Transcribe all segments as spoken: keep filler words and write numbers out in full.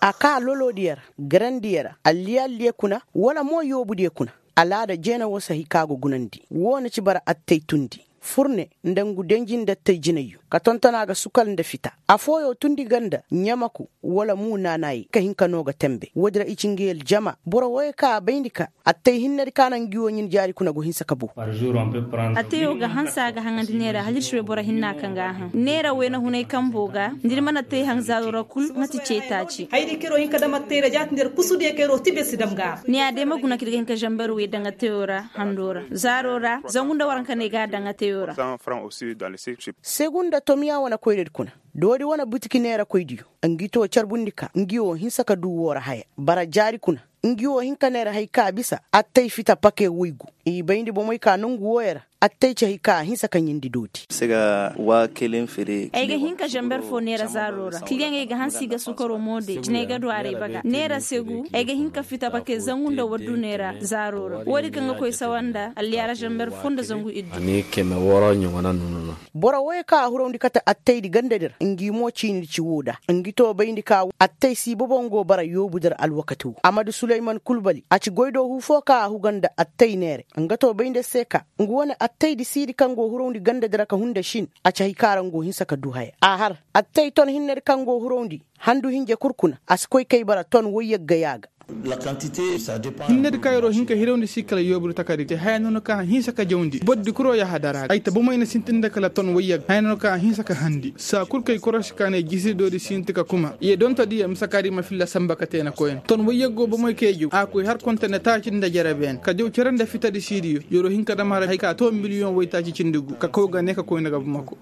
A kaa lolodiyo ra, garandiyo ra, alliya alliya kuna, wala mo yoobudiyo kuna. Alaada jeena woo si hay ka go gunandi woo na ci bara attay tundi, furne, nda ngu denji nda attay jinayyo ka tonton a ga sukal nda fita. Afooyo tundi ganda ɲamaku, wala muu naanaayi ka hin ka noo ga tembe woodi ra i ci ngi aljama boro wooyo ka a bayndi ka attay hinnedi ka na ngi woo ɲin jaari kuna go hinsa ka boo. Attayoo ga hanse a ga haŋandi neera hal ir si bay boro hinna kaŋ ga a haŋ neera wayna hunay kambo ga, nda ir mana attay haŋ zaaroo ra kul mate cee taaci. Haydi kaŋ ir wo hin ka dam attay ra jaati nda ir kusudiyo kaŋ ir wo tibe si dam ga a ra. Ni a day ma guna kaŋ ir ga hin ka zamber wey daŋ attayoo ra hando ra zaaroo ra, zangu nda waranka no ay ga a daŋ attayoo ra. Segunda tomiya wane koyradi kuna, doori wane butiki neerakoydiyo, ngi too carbundi ka ngi woo hinsa ka duu woo ra haya. Bara jaari kuna, ngi woo hin ka neera hay ka bisa attay fita pake woygu. I bayndi bomey ka nongu wooyo ra, attay ci hay ka a hinsa ka ɲindi doodi. Ay ga hin ka zamber foo neera zaaroo ra kiliyaŋey ga hanse i ga sukaroo mo day jinay ga du a ra ay baga neera segu ay ga hin ka fita pake zangu nda waddu neera zaaroo ra woodi kaŋ ga koy sawa nda alliyaara zamber foo nda zangu iddu. Boro wooyo ka a hurawndi kate attaydi gandadi ra ngi mo ciinidi ci woo da ngi too bayndi ka attay si bobo ngo bara yoobudi ra alwakati woo amadu suleyman kulbali a ci goydoo huu foo ka a huga nda attay neere. Nga too bayndi se ka ngu wane attaydi siidi kaŋ go hurawndi gandadi ra ka hunda sin a ci hay ka ra ngo hinsa ka duu haya a har attay ton hinnedi kaŋ go hurawndi handu hinja kul kuna a si koy kay bara ton woyyagga yaaga. Hinnedi ka yeroo hin ka hirawndi si kala yoobudi takari te haya noona ka a hinsa ka jawndi bordi kuroo yahadara ay ta bomey na sintin nda kala ton woyyagga haya noona ka a hinsa ka handi saa kul kay korosi ka ne jisidoodi sinti ka kuma ye donto diya mise ka di ma filla samba ka te na koyna ton woyyaggo bomey kay jaw a koy har konte nda taaci nda jere beene ka jaw cere nda fitadi siidiyo yeroo hin ka dam har hay ka too miliyoŋ woytaaci cindi gu ka kaw ga ne ka koyna ga bamako.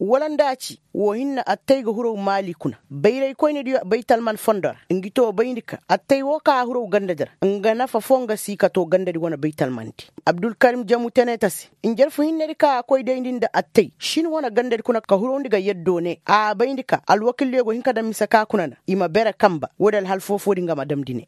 Wala nda a ci woo hinne attay ga huraw maali kuna bayraykoynediyo baytalman fondo ra ngi too bayndi ka attay woo ka a huraw gandadi ra nga nafa foo nga si ka too gandadi wane baytalmandi. Abdulkarim jamu teneta se njarfu hinnedi ka a koy dayndi nda attay shin wane gandadi kuna ka hurawndi ga yaddo ne a bayndi ka alwakildiyo go hin ka daŋ mise ka kuna na i ma bere kamba woodi alhal foofoodi nga ma damndi ne.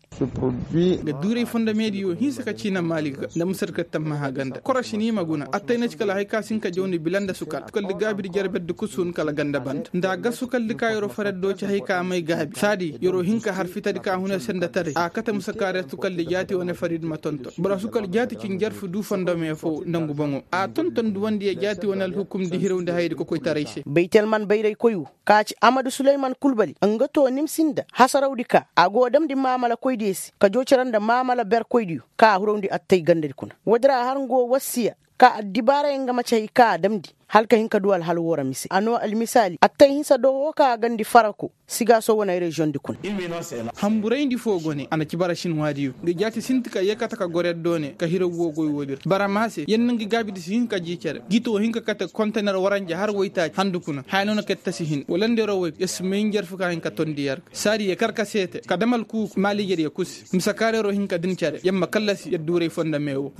Ga duuray fondo meediyo hinsa ka ciina maali ga nda musar ka tammaha ganda korosi ni ma guna attay na ci kala hay ka si hin ka jawndi bila nda sukal sukaldi gaabidi jarberdi kusun kala ganda banda nda a ga sukaldi ka yeroo faraddo ci hay ka a may gaabi saadi yeroo hin ka har fitadi ka huna senda taray a kate musa ka reer sukaldi jaati wane faridi ma tonton boro sukal jaati ci njarfu duu fondo mee foo nda ngu boŋo a tonton duwandi ye jaati wane alhukumdi hirawndi hayadi kokoytaray se. Baytalman bayraykoy woo ka ci amadu suleyman kulbali nga too nimsi nda hasarawdi ka a go damndi maamalakoydiyo se ka joo cere nda maamala berkoydiyo ka a hurawndi attay gandadi kuna woodi ra har nga woo wassiya ka addibaarayaŋ nga ma ci hay ka a damndi hala ka hin ka duu alhal woo ra mise a noo almisaali attay hinsa do woo ka a gandi farako sigaaso wane reziyoŋdi kuna. Hanburayndi foo go ne a na ci bara sinwaadiyo nga jaati sinti ka yee kate ka goro yaddo ne ka hiraw woo goy woodi ra bara maa se yer na ngi gaabidi si hin ka jii cere gito hin ka kate kontener waranja har woytaaci handu kuna haya noona ka yer tasi hin wala nda yeroo woy yer si may njarfu ka hin ka tondi yer ga saadi yer kar ka seete ka dam alkuuku maali yer yer kusi mise kaareroo hin ka din cere yer ma kallasi yer duuray fondo mee woo.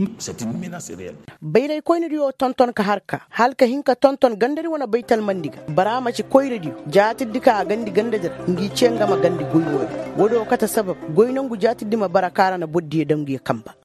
Bayraykoynediyo tonton ka har ka hala ka hin ka tonton gandadi wane baytalmandi ga bara a ma ci koyradiyo jaatiddi ka a gandi gandadi ra ngi cee nga ma gandi goy woo din woodi woo kate sabab goy nongu jaatiddi ma bara ka ra na bordiyo daŋ ngiyo kamba.